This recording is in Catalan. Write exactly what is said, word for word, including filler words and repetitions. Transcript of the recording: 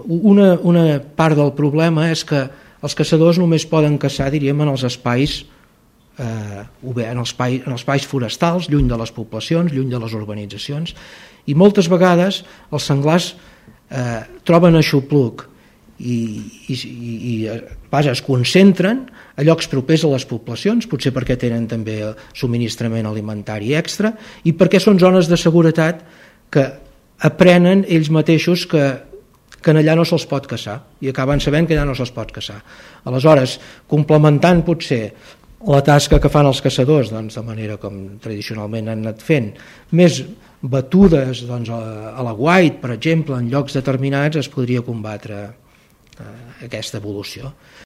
una, una part del problema és que els caçadors només poden caçar, diríem, en els espais eh, obert, en els espais, en els espais forestals, lluny de les poblacions, lluny de les urbanitzacions, i moltes vegades els senglars eh, troben aixopluc i, i, i vaja, es concentren a llocs propers a les poblacions, potser perquè tenen també subministrament alimentari extra i perquè són zones de seguretat que aprenen ells mateixos que que allà no se'ls pot caçar i acaben sabent que allà no se'ls pot caçar. Aleshores, complementant potser la tasca que fan els caçadors, doncs, de manera com tradicionalment han anat fent, més batudes doncs, a la guait, per exemple, en llocs determinats, es podria combatre eh, aquesta evolució.